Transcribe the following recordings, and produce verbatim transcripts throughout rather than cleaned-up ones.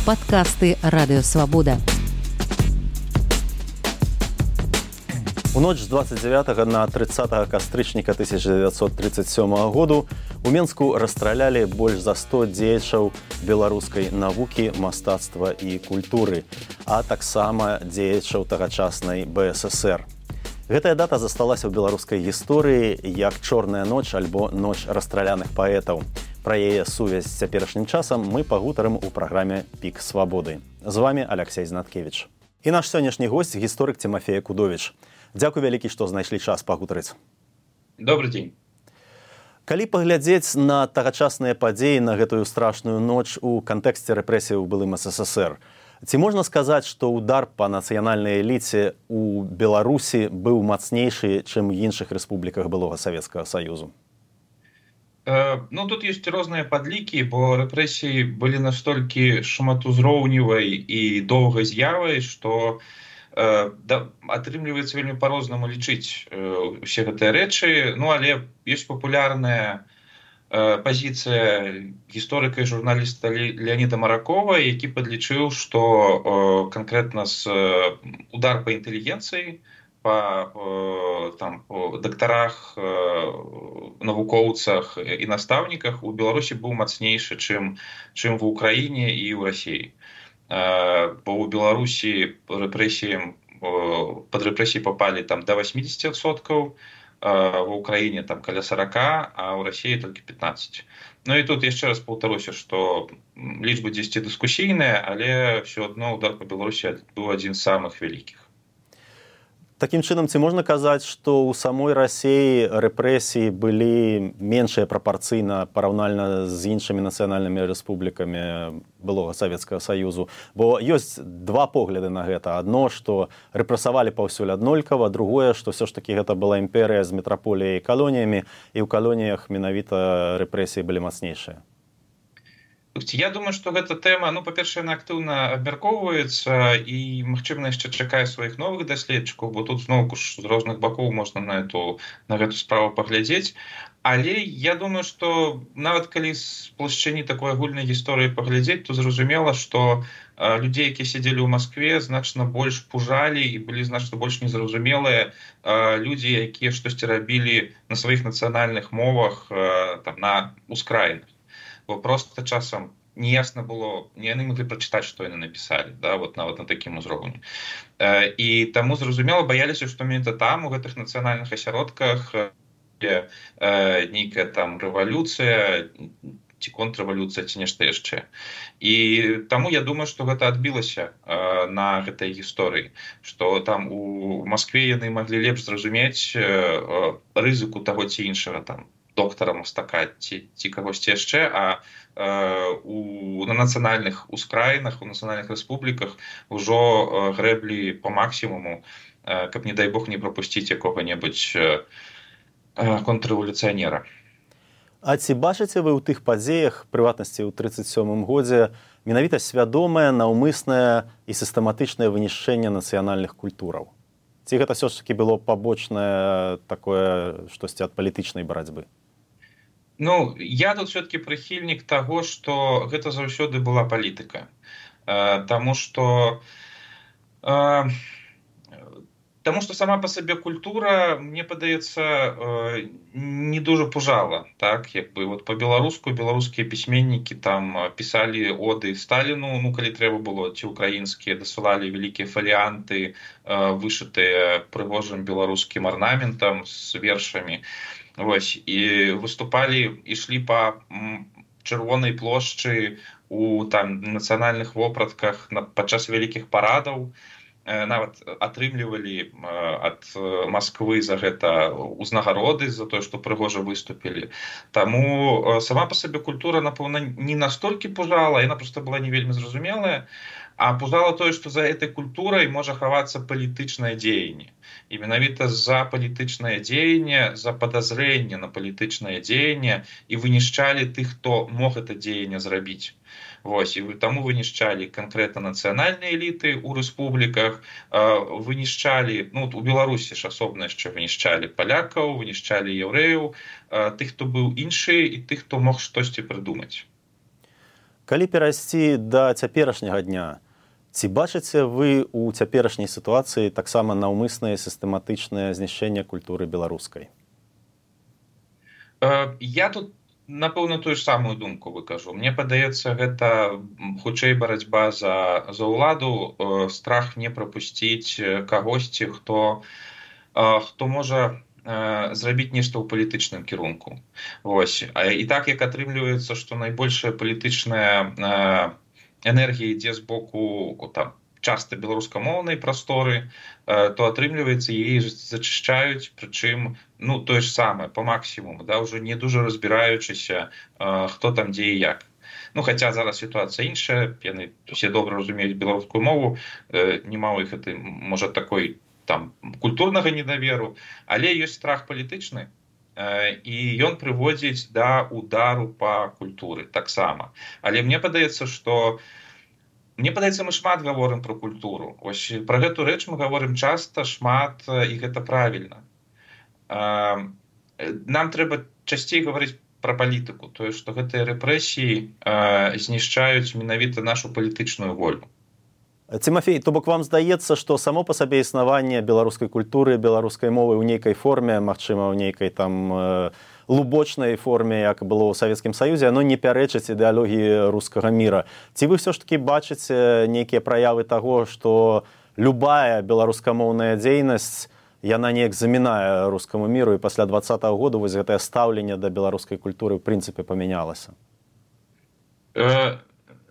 Падкасты Радыёвабода. У ноч з дваццаць дзявятага на трыццатага кастрычніка тысяча дзевяцьсот тридцать сёмага году у Менску расстралялі больш за сто дзеячаў беларускай навукі, мастацтва і культуры, а таксама дзеячаў тагачаснай бэ эс эсэр. Гэтая дата засталася ў беларускай гісторыі як чорная ноч альбо ноч расстраляных паэтаў. Пра яе сувязь з цяперашнім часам мы пагутарым у праграме «Пік свабоды». З вами Алексей Знаткевич. І наш сённяшні госць – гісторык Тимофей Кудович. Дзякуй вялікі, што знайшлі час пагутарыць. Добрый дзень. Калі паглядзець на тагачасныя падзеі на гэтую страшную ноч у кантэксце рэпрэсій у былым эс эс эс эр, ці можна сказаць, што удар па нацыянальнай эліце у Беларусі быў мацнейшы, чым у іншых рэспубліках былога Савецкага Саюзу? Ну, тут ёсць розныя падлікі, бо рэпрэсіі былі настолькі шматузроўневай і доўгай з'явай, што э, да, атрымліваецца вельмі па-рознаму лічыць э, усе гэтыя рэчы. Ну, але ёсць папулярная э, пазіцыя гісторыка і журналіста Леаніда Маракова, які падлічыў, што э, канкрэтна з э, удар па інтэлігенцыі, па там, дактарах, навукоўцах і настаўніках у Беларусі быў мацнейшы, чым, чым в Украіне і ў Расіі. Бо ў Беларусі рэпрэсіям, пад рэпрэсіі папалі там, да восьмидесяти адсоткаў, в Украіне там, каля сорока, а ў Расіі толькі пятнадцать. Ну і тут яшчэ раз паўтаруся, што лічбы дзесьці дыскусійныя, але ўсё адно удар па Беларусі быў адзін з самых вялікіх. Такім чынам, ці можна казаць, што ў самой Расіі рэпрэсіі былі меншыя прапарцыйна параўнальна з іншымі нацыянальнымі рэспублікамі былога Савецкага Саюзу? Бо ёсць два погляды на гэта. Адно, што рэпрэсавалі паўсюль аднолькава, другое, што ўсё ж такі гэта была імперыя з метраполіяй і калоніямі, і ў калоніях менавіта рэпрэсіі былі мацнейшыя. Я думаю, што гэта тэма, ну, па-першае, яна актыўна абмяркоўваецца і, магчыма, яшчэ чакае сваіх новых даследчыкаў, бо тут зноў ж з розных бакоў можна на эту, на гэту справу паглядзець. Але я думаю, што нават калі з плашчыні такой агульнай гісторыі паглядзець, то зразумела, што э, людзей, якія сядзелі ў Маскве, значна больш пужалі і былі значна больш незразумелыя э, людзі, якія штосьці рабілі на сваіх нацыянальных мовах э, там, на ускраінах. Бо просто часам неясна было, не яны маглі прачытаць, што яны напісалі, да, вот нават на такім узроўні. Э, і таму, зразумела, баяліся, што менавіта там, у гэтых нацыянальных асяродках, э, нейкая там рэвалюцыя, ці контррэвалюцыя, ці нешта яшчэ. І таму я думаю, што гэта адбілася э, на гэтай гісторыі, што там у Маскве яны маглі лепш зразумець э, рызыку таго ці іншага там доктара, мастака ці, ці кагосьці яшчэ, а э, у, на нацыянальных ускраінах, у нацыянальных рэспубліках ўжо э, грэблі па максімуму, э, каб, не дай Бог, не прапусціць якога-небудзь э, контррэвалюцыянера. А ці бачыце вы ў тых падзеях, прыватнасці ў трыццаць сёмым годзе, менавіта свядомае, наўмыснае і сістэматычнае вынішчэнне нацыянальных культураў? Ці гэта ўсё ж такі было пабочнае такое штосьці ад палітычнай барацьбы? Ну, я тут все-таки прыхільнік таго, што гэта заўсёды была палітыка. Э, таму што э, таму што сама па сабе культура, мне падаецца, э, не дужа пужала. Так? Як бы, вот па-беларуску беларускія пісьменнікі там пісалі оды Сталіну, ну, калі трэба было, ці украінскія, дасылалі вялікія фаліанты, э, вышытыя прыгожым беларускім арнаментам з вершамі. Вось, і выступалі, ішлі па чырвонай плошчы у там нацыянальных вопратках падчас вялікіх парадаў, нават атрымлівалі ад Масквы за гэта ўзнагароды, за тое, што прыгожа выступілі. Таму сама па сабе культура, напэўна, не настолькі пужала, яна проста была не вельмі зразумелая, а пужала тое, што за гэтай культурай можа хавацца палітычнае дзеянне. І менавіта за палітычнае дзеянне, за падазрэнне на палітычнае дзеянне і вынішчалі тых, хто мог гэта дзеянне зрабіць. Вось, і таму вынішчалі канкрэтна нацыянальныя эліты ў рэспубліках, вынішчалі, ну, у Беларусі ж асобна яшчэ вынішчалі палякаў, вынішчалі яўрэяў, тых, хто быў іншы і тых, хто мог штосьці прыдумаць. Калі перайсці да цяперашняга дня, ці бачыце вы ў цяперашняй сітуацыі таксама наўмыснае сістэматычнае знішчэнне культуры беларускай? Я тут, напэўна, тую ж самую думку выкажу. Мне падаецца, гэта хутчэй барацьба за, за ўладу, страх не прапусціць кагосьці, хто, хто можа зрабіць нешта ў палітычным кірунку. Вось. І так, як атрымліваецца, што найбольшая палітычная энергія ідзе з боку там, часта беларускамоўнай прасторы, то атрымліваецца, яе зачышчаюць, прычым ну, тое ж самае, па максімуму, да, ўжо не дужа разбіраючыся, хто там дзе і як. Ну, хаця зараз сітуацыя іншая, яны усе добра разумеюць беларускую мову, нема ў іх, можа, такой там культурнага недаверу, але ёсць страх палітычны, і ён прыводзіць да удару па культуры таксама. Але мне падаецца, што мне падаецца, мы шмат гаворым пра культуру. Ось пра гэту рэч мы гаворым часта, шмат, і гэта правільна. Нам трэба часцей гаварыць пра палітыку, тое, што гэтыя рэпрэсіі знішчаюць менавіта нашу палітычную волю. Тимофей, то бок вам здаецца, што само па сабе існаванне беларускай культуры, беларускай мовы ў нейкай форме, магчыма, ў нейкай там лубочнай форме, як было ў Савецкім Саюзе, оно не пярэчыць ідэалогіі рускага міра. Ці вы ўсё ж такі бачыце нейкія праявы таго, што любая беларускамоўная дзейнасць, яна неяк замінае рускаму міру, і пасля двадцатага году вось гэтае стаўленне да беларускай культуры ў прынцыпе памянялася?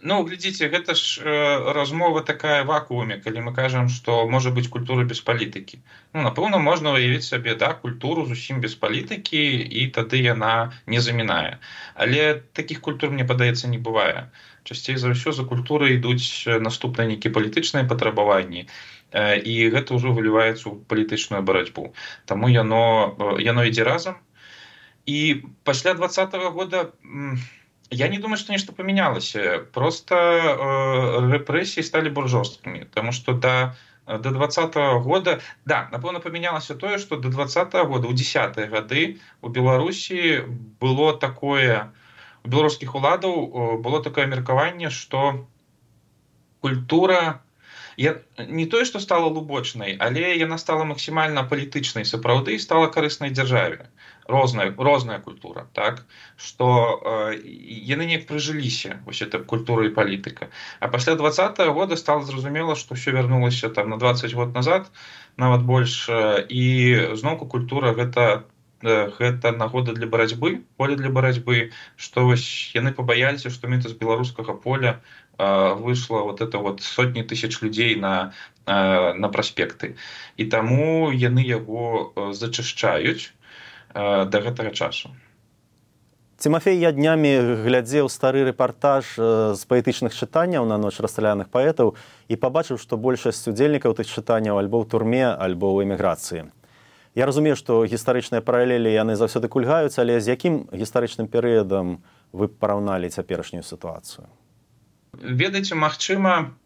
Ну, глядзіце, гэта ж э, размова такая вакууме, калі мы кажам, што можа быць культура без палітыкі. Ну, напэўна, можна уявіць сабе, да, культуру зусім без палітыкі, і тады яна не замінае. Але такіх культур, мне падаецца, не бывае. Часцей за ўсё за культурай ідуць наступныя нейкія палітычныя патрабаванні, э, і гэта ўжо выліваецца ў палітычную барацьбу. Таму яно, яно ідзе разам. І пасля двадцатага года... Я не думаю, что нечто поменялось. Просто э, репрессии стали более жесткими. Потому что до, до двадцатого года... Да, напэўна, поменялось то, что до двадцатого года, у десятые годы у Беларуси было такое... У белорусских уладаў было такое меркаванне, что культура... Я, не тое, што стала лубочнай, але яна стала максімальна палітычнай сапраўды і стала карыснай дзяржаве. Розная, розная культура, так? Што э, яны неяк прыжыліся, вось эта культура і палітыка. А пасля двадцатага года стала зразумела, што ўсё вярнулася там на дваццаць год назад, нават больш, і зноўку культура гэта, гэта нагода для барацьбы, поле для барацьбы, што вось яны пабаяліся, што менавіта з беларускага поля вышло вот это вот сотні тысяч людзей на, на праспекты. І таму яны яго зачышчаюць да гэтага часу. Тимофей, я днямі глядзеў стары рэпартаж з паэтычных чытанняў на ноч расстраляных паэтаў і пабачыў, што большасць удзельнікаў тых чытанняў альбо ў турме, альбо ў эміграцыі. Я разумею, што гістарычныя паралелі яны заўсёды кульгаюць, але з якім гістарычным перыядам вы параўналі цяперашнюю сітуацыю? Ведаеце, магчыма,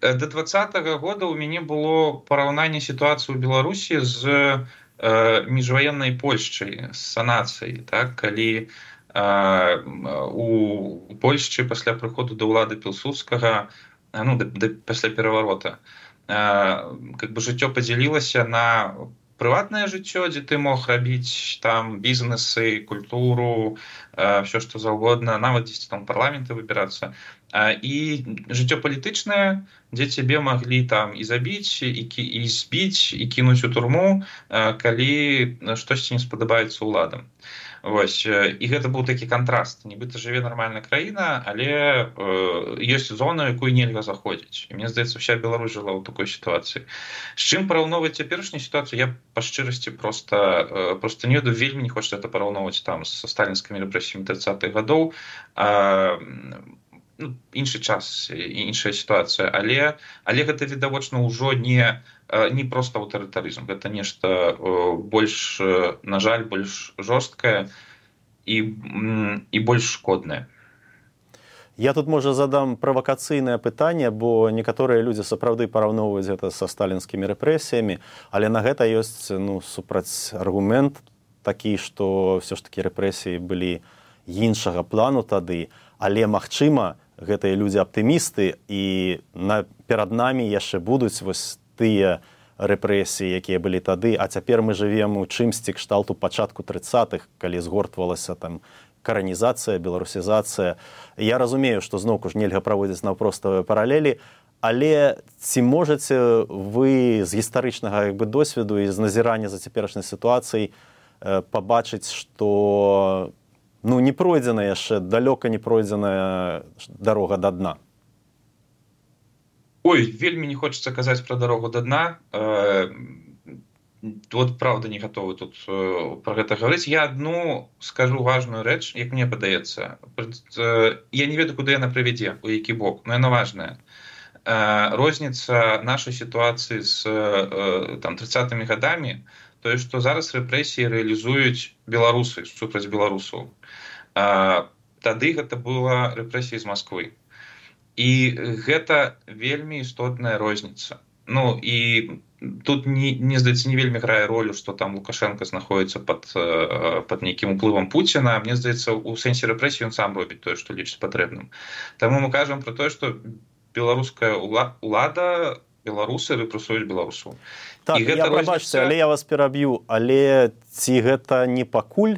да двадцатага года ў мяне было параўнанне сітуацыі ў Беларусі з э, міжваеннай Польшчай, з санацыяй, так? Калі э, у Польшчы пасля прыходу да ўлады Пілсудскага, ну, да, да, пасля пераварота, э, как бы жыццё падзялілася на прыватнае жыццё, дзе ты мог рабіць там бізнесы, культуру, э, все што заўгодна, нават дзесьці там парламенты выбірацца, і жыццё палітычнае, дзе цябе маглі там і забіць, і, і збіць, і кінуць у турму, калі штосьці не спадабаецца ўладам. Вось. І гэта быў такі кантраст. Нібыта жыве нармальная краіна, але э, ёсць зона, якую нельга заходзіць. І мне здаецца, вся Беларусь жыла ў такой сітуацыі. З чым параўноўваць цяперашнюю сітуацыю, я па шчырасці проста, э, проста не ведаю, вельмі не хочацца гэта параўноўваць там са сталінскімі рэпрэсіямі трыццатых гадоў. А, ну, іншы час, іншая сітуацыя, але, але гэта відавочна ўжо не, не проста аўтарытарызм, гэта нешта больш, на жаль, больш жорсткае і, і больш шкоднае. Я тут, можа, задам правакацыйнае пытанне, бо некаторыя людзі сапраўды параўноўваюць гэта са сталінскімі рэпрэсіямі, але на гэта ёсць, ну, супраць аргумент такі, што ўсё ж такі рэпрэсіі былі іншага плану тады, але, магчыма, гэтыя людзі аптымісты, і на, перад намі яшчэ будуць вось тыя рэпрэсіі, якія былі тады, а цяпер мы жывем у чымсьці кшталту пачатку трыццатых, калі згортвалася там каранізацыя, беларусізацыя. Я разумею, што зноўку ж нельга праводзіць наўпроставыя паралелі, але ці можаце вы з гістарычнага як бы досведу і з назірання за цяперашняй сітуацыяй пабачыць, што ну, не пройдзена яшчэ, далёка не пройдзеная дарога да дна? Ой, вельмі не хочется казаць пра дарогу да дна. Э, вот правда не готовы тут э, пра гэта гаварыць. Я адну скажу важную рэч, як мне падаецца. Э, я не ведаю, куды яна прывядзе, у які бок, но яна важная. Э, розніца нашай сітуацыі з э, там трыццатымі гадамі, тое, што зараз рэпрэсіі рэалізуюць беларусы супраць беларусаў. Э, тады гэта была рэпрэсія з Масквы. І гэта вельмі істотная розніца. Ну, і тут, не, не здаецца, не вельмі грае ролю, што там Лукашенко знаходзіцца пад, пад нейкім уплывам Пуціна. Мне здаецца, у сэнсе рэпрэсіі ён сам робіць тое, што лічыць патрэбным. Таму мы кажам пра тое, што беларуская ўлада, беларусы рэпрэсуюць беларусаў. Так, я прабачце, розніца... але я вас пераб'ю. Але ці гэта не пакуль?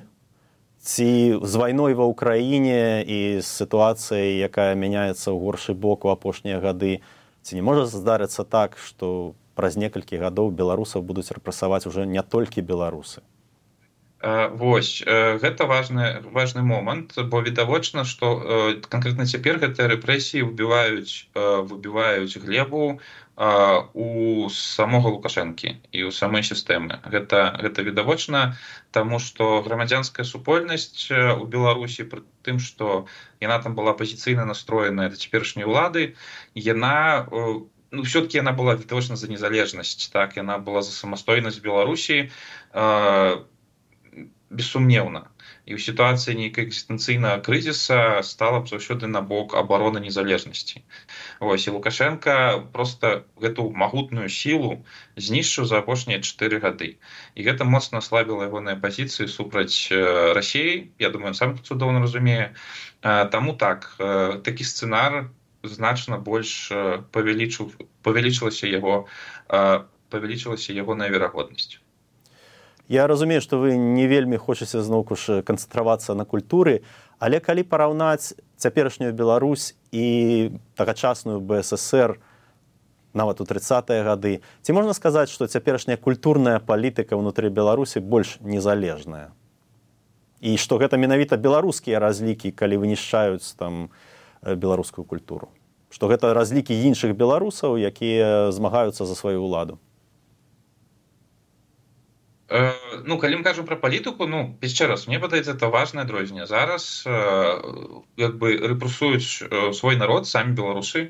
Ці з вайной ва ўкраіне і з сітуацыяй, якая мяняецца ў горшы бок у апошнія гады, ці не можа здарыцца так, што праз некалькі гадоў беларусаў будуць рэпрэсаваць уже не толькі беларусы? Вось, гэта важны, важны момант, бо відавочна, што канкрэтна цяпер гэтыя рэпрэсіі выбіваюць, выбіваюць глебу у самога Лукашэнкі і ў самой сістэмы. Гэта, гэта відавочна, таму што грамадзянская супольнасць у Беларусі, пры тым, што яна там была апазіцыйна настроеная да цяперашняй улады, яна, ну, все-таки яна была відавочна за незалежнасць, так, яна была за самастойнасць Беларусі, бессумнеўна. І ў сітуацыі нейкай экзістэнцыйнага крызіса стала б заўсёды на бок абароны незалежнасці. Вось, і Лукашенко проста гэту магутную сілу знішчыў за апошнія чатыры гады. І гэта моцна аслабіла ягоныя пазіцыі супраць Расіі. Я думаю, ён сам цудоўна разумее. Таму так, такі сцэнар значна больш павялічыў, павялічылася яго, павялічылася ягоная верагоднасць. Я разумею, што вы не вельмі хочаце зноўку ж канцэнтравацца на культуры, але калі параўнаць цяперашнюю Беларусь і тагачасную Бэ Эс ЭсЭр, нават у трыццатыя гады, ці можна сказаць, што цяперашняя культурная палітыка ўнутры Беларусі больш незалежная? І што гэта менавіта беларускія разлікі, калі вынішчаюць там беларускую культуру? Што гэта разлікі іншых беларусаў, якія змагаюцца за сваю ўладу? Ну, калі мы кажам пра палітыку, ну, яшчэ раз, мне падаецца, это важнае адрозненне. Зараз як бы рэпрэсуюць свой народ, самі беларусы.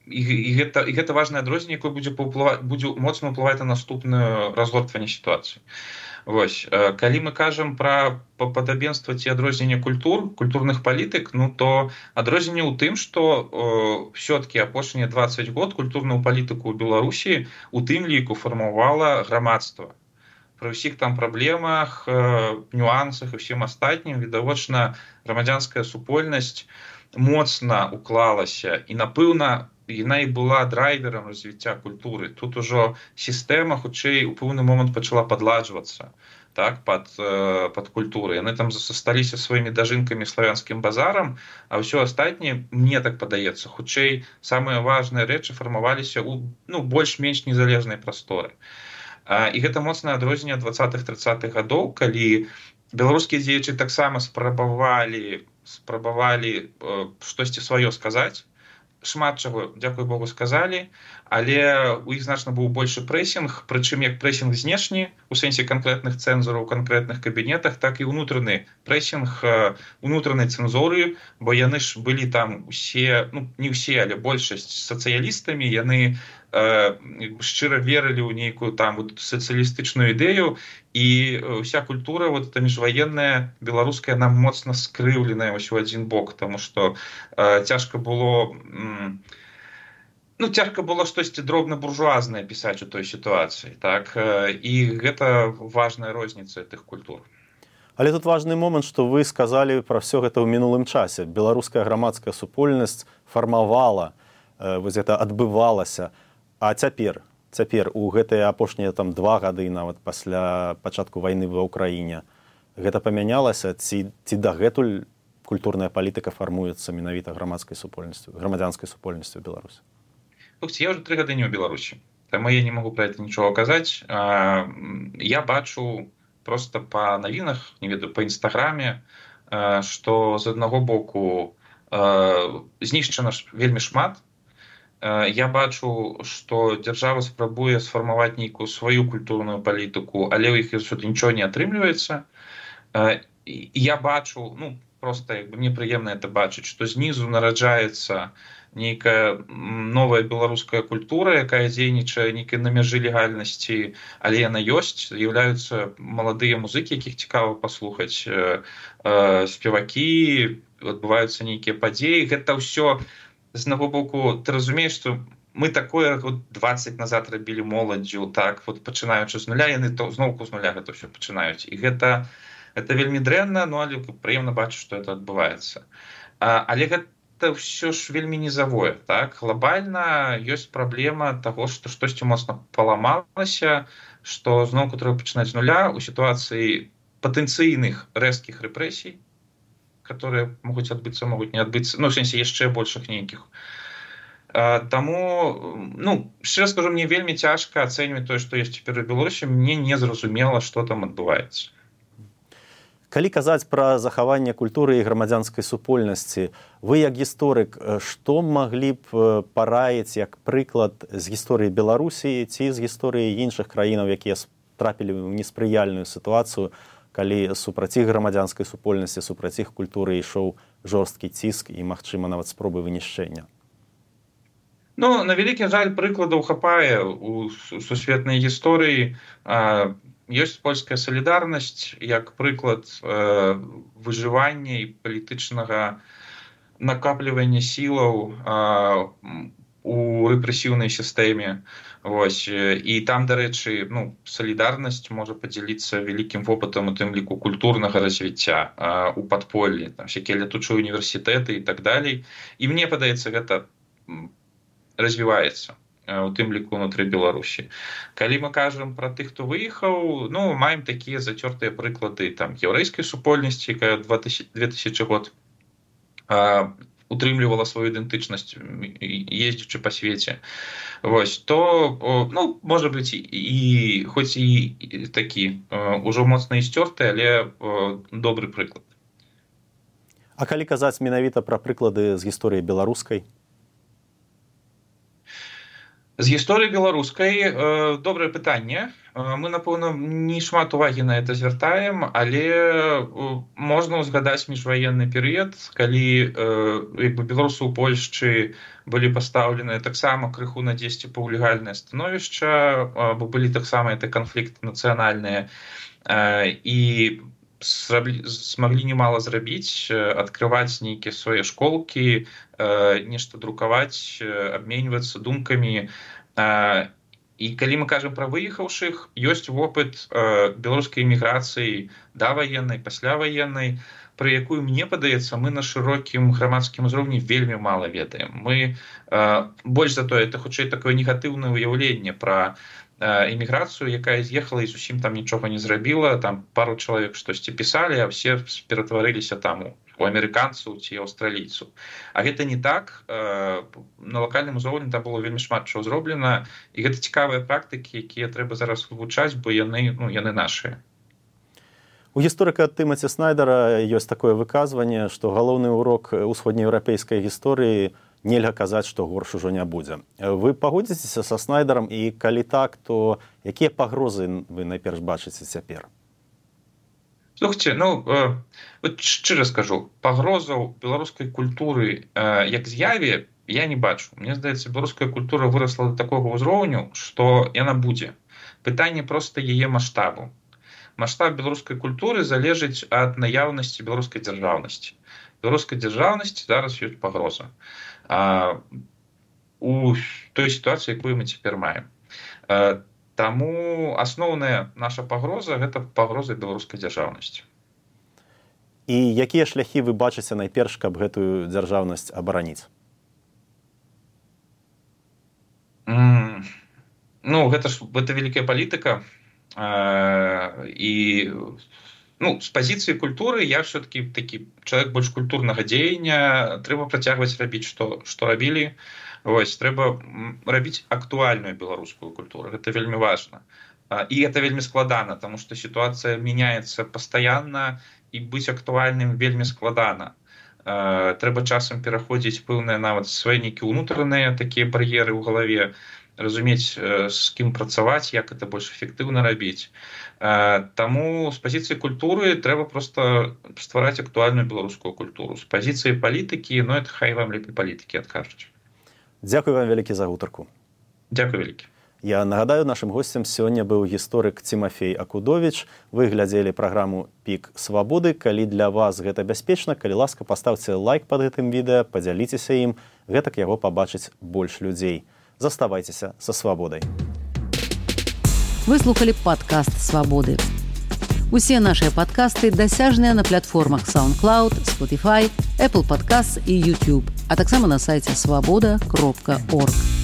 І, і, гэта, і гэта важнае адрозненне, якое будзе, будзе моцна ўплываць на наступнае разгортванне сітуацыі. Вось, калі мы кажам пра падабенства ці адрозненне культур, культурных палітык, ну то адрозненне ў тым, што ўсё-такі апошнія дваццаць год культурную палітыку ў Беларусі у тым ліку фармавала грамадства. Пры ўсіх там праблемах, нюансах і ўсім астатнім, відавочна, грамадзянская супольнасць моцна уклалася і, напэўна, яна і была драйверам развіцця культуры. Тут ужо сістэма, хутчэй, у пэўны момант пачала падладжвацца, так, пад, пад культуры. Яны там засталіся сваімі дажынкамі славянскім базарам, а ўсё астатняе, мне так падаецца, хутчэй, самыя важныя рэчы фармаваліся ў, ну, больш-менш незалежнай прасторы. І гэта моцнае адрозненне дваццатых-трыццатых гадоў, калі беларускія дзеячы таксама спрабавалі, спрабавалі штосьці сваё сказаць, шмат чаго, дзякуй Богу, сказалі, але у іх значна быў большы прэсінг, прычым як прэсінг знешні, у сэнсе канкрэтных цэнзураў у канкрэтных кабінетах, так і ўнутраны прэсінг унутранай цэнзуры, бо яны ж былі там усе, ну, не ўсе, але большасць сацыялістамі, яны э, шчыра верылі ў нейкую там вот, сацыялістычную ідэю, і вся культура, вот эта міжваенная, беларуская, нам моцна скрыўленая вось у адзін бок, таму што э, цяжка было... М, Ну, цяжка было штосьці дробна-буржуазнае пісаць у той сітуацыі, так? І гэта важная розніца тых культур. Але тут важны момант, што вы сказалі пра ўсё гэта ў мінулым часе. Беларуская грамадская супольнасць фармавала, вось гэта адбывалася. А цяпер, цяпер у гэтыя апошнія там два гады нават пасля пачатку вайны ва ўкраіне, гэта памянялася, ці, ці дагэтуль культурная палітыка фармуецца менавіта грамадскай супольнасцю, грамадзянскай супольнасцю ў Беларусі? Слухайте, я ўжо тры гады не ў Беларусі, таму я не магу пра гэта нічога казаць. Я бачу просто по навінах, не ведаю, по інстаграме, што з аднаго боку знішчана вельмі шмат. Я бачу, што дзяржава спрабуе сфармаваць нейкую сваю культурную палітыку, але ў іх нічого не атрымліваецца. Я бачу, ну, просто як бы мне прыемна это бачыць, што знізу нараджаецца нейкая новая беларуская культура, якая дзейнічае нейкай на мяжы легальнасці, але яна ёсць, з'яўляюцца маладыя музыкі, якіх цікава паслухаць, спевакі, адбываюцца нейкія падзеі. Гэта ўсё з аднаго боку, ты разумееш, што мы такое вот дваццаць назад рабілі моладдзю, так, вот пачынаючы з нуля, яны то зноўку з нуля гэта ўсё пачынаюць. І гэта, гэта вельмі дрэнна, ну, але прыемна бачыць, што гэта адбываецца. Але гэта это все ж вельмі низавое, так? Глобальна ёсць праблема таго, што штосьці моцна паламалася, што зноўку трэба пачынаць з нуля ў сітуацыі патэнцыйных рэзкіх рэпрэсій, которые могуць адбыцца, могуць не адбыцца, ну, в сэнсе яшчэ большых нейкіх. Таму, ну, шчыра скажу, мне вельмі цяжка ацэньваць тое, што ёсць цяпер у Беларусі, мне не зразумела, што там адбываецца. Калі казаць пра захаванне культуры і грамадзянскай супольнасці, вы як гісторык, што маглі б параіць як прыклад з гісторыі Беларусі ці з гісторыі іншых краінаў, якія трапілі ў неспрыяльную сітуацыю, калі супраць іх грамадзянскай супольнасці, супраць іх культуры ішоў жорсткі ціск і, магчыма, нават спробы вынішчэння? Ну, на вялікі жаль, прыкладаў хапае у сусветнай гісторыі. Ёсць польская салідарнасць як прыклад э, выжывання і палітычнага накаплівання сілаў э, у рэпрэсіўнай сістэме. Вось. І там, дарэчы, ну, салідарнасць можа падзяліцца вялікім вопытам, у тым ліку культурнага развіцця э, у падполлі, там всякія летучыя універсітэты і так далей. І мне падаецца, гэта развіваецца у тым ліку ўнутры Беларусі. Калі мы кажам пра тых, хто выехаў, ну, маем такія зацёртыя прыклады там яўрэйскай супольнасці, якая две тысячи год а, утрымлівала сваю ідэнтычнасць, ездзячы па свеце. Вось, то, ну, можа быць, і, і хоць і такі ўжо моцна ісцёрты, але добры прыклад. А калі казаць менавіта пра прыклады з гісторыі беларускай? З гісторыі беларускай э, добрае пытанне. Э, мы, напэўна, не шмат увагі на это звяртаем, але э, можна ўзгадаць міжваенны перыяд, калі э, як бы беларусы ў Польшчы былі пастаўленыя таксама крыху на дзесьці паўлегальнае становішча, э, бо былі таксама это канфлікты нацыянальныя, э, і смаглі немало зрабіць, адкрываць нейкія свае школкі, нешта друкаваць, абменьвацца думкамі. І калі мы кажам пра выехаўшых, ёсць вопыт беларускай эміграцыі даваеннай, пасляваеннай, пра якую, мне падаецца, мы на шырокім грамадскім узроўні вельмі мала ведаем. Мы больш за тое, это хутчэй такое негатыўнае ўяўленне пра эміграцыю, якая з'ехала і зусім там нічога не зрабіла, там пару чалавек штосьці пісалі, а все ператварыліся там у амерыканцаў ці аўстралійцаў. А гэта не так. На лакальным узроўні там было вельмі шмат чого зроблена, і гэта цікавыя практыкі, якія трэба зараз вывучаць, бо яны, ну, яны нашыя. У гісторыка Тымаці Снайдера ёсць такое выказванне, што галоўны урок усходнееўрапейскай гісторыі нельга казаць, што горш ужо не будзе. Вы пагодзіцеся са Снайдерам, і калі так, то якія пагрозы вы найперш бачыце цяпер? Слухайте, ну, э, вот шчыра скажу, пагрозаў беларускай культуры э, як з'яве я не бачу. Мне здаецца, беларуская культура вырасла да такога ўзроўню, што яна будзе. Пытанне проста яе маштабу. Маштаб беларускай культуры залежыць ад наяўнасці беларускай дзяржаўнасці. Беларускай дзяржаўнасці зараз ёсць пагроза. А, у той сітуацыі, якую мы цяпер маем. А, таму асноўная наша пагроза — гэта пагроза беларускай дзяржаўнасці. І якія шляхі вы бачыце найперш, каб гэтую дзяржаўнасць абараніць? Mm. Ну, гэта ж гэта вялікая палітыка. Э, і ну, з пазіцыі культуры я все-таки такі чалавек больш культурнага дзеяння. Трэба працягваць рабіць, што, што рабілі. Вось, трэба рабіць актуальную беларускую культуру. Гэта вельмі важна. І гэта вельмі складана, таму што сітуацыя мяняецца пастаянна, і быць актуальным вельмі складана. Трэба часам пераходзіць пэўныя нават свае нейкія ўнутраныя такія бар'еры ў галаве, разумець, з кім працаваць, як гэта больш эфектыўна рабіць. Таму з пазіцыі культуры трэба проста ствараць актуальную беларускую культуру. З пазіцыі палітыкі, ну, это хай вам лепей палітыкі адкажуць. Дзякуй вам вялікі за гутарку. Дзякуй вялікі. Я нагадаю, нашым госцем сёння быў гісторык Цімафей Акудовіч. Вы глядзелі праграму «Пік свабоды». Калі для вас гэта бяспечна, калі ласка, паставце лайк пад гэтым відэа, падзяліцеся ім, гэтак яго пабачыць больш людзей. Заставайцеся са свабодай. Вы слухалі падкаст «Свабоды». Усе нашыя падкасты дасяжныя на платформах SoundCloud, Spotify, Apple Podcasts і YouTube, а таксама на сайце свабода кропка орг.